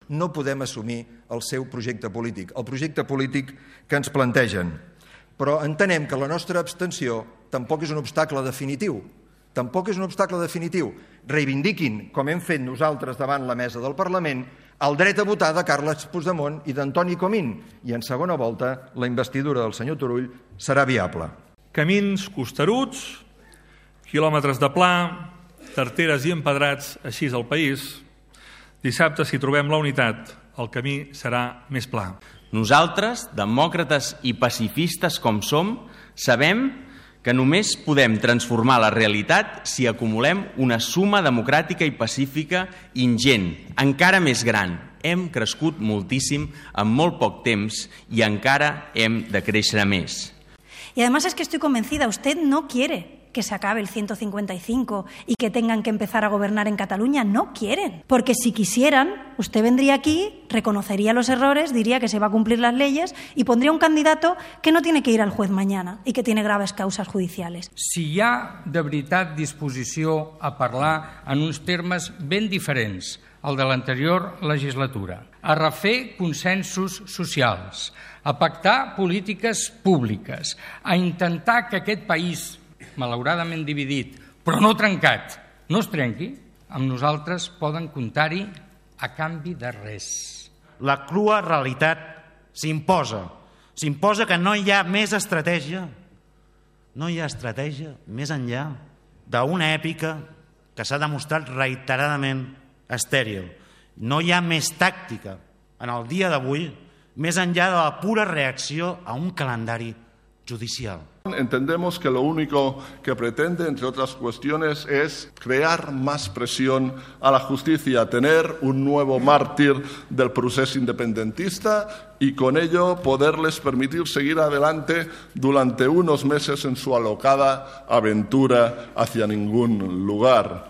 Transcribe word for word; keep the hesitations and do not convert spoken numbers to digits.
no podem assumir el seu projecte polític, el projecte polític que ens plantegen. Però entenem que la nostra abstenció tampoc és un obstacle definitiu. Tampoc és un obstacle definitiu. Reivindiquin, com hem fet nosaltres davant la mesa del Parlament, el dret a votar de Carles Puigdemont i d'Antoni Comín, i en segona volta la investidura del senyor Turull serà viable. Camins costeruts, quilòmetres de pla, tarteres i empedrats, així és el país. Dissabte, si trobem la unitat, el camí serà més pla. Nosaltres, demòcrates i pacifistes com som, sabem que només podem transformar la realitat si acumulem una suma democràtica i pacífica ingent, encara més gran. Hem crescut moltíssim en molt poc temps i encara hem de créixer més. Y además es que estoy convencida, usted no quiere que se acabe el ciento cincuenta y cinco y que tengan que empezar a gobernar en Cataluña. No quieren. Porque si quisieran, usted vendría aquí, reconocería los errores, diría que se va a cumplir las leyes y pondría un candidato que no tiene que ir al juez mañana y que tiene graves causas judiciales. Si hi ha de veritat disposició a parlar en uns termes ben diferents al de l'anterior legislatura, a refer consensos socials, a pactar polítiques públiques, a intentar que aquest país, malauradament dividit, però no trencat, no es trenqui, amb nosaltres poden comptar-hi a canvi de res. La crua realitat s'imposa. S'imposa que no hi ha més estratègia. No hi ha estratègia més enllà d'una èpica que s'ha demostrat reiteradament estèril. No hi ha més tàctica en el dia d'avui més enllà de la pura reacció a un calendari judicial. Entendemos que lo único que pretende, entre otras cuestiones, es crear más presión a la justicia, tener un nuevo mártir del proceso independentista y con ello poderles permitir seguir adelante durante unos meses en su alocada aventura hacia ningún lugar.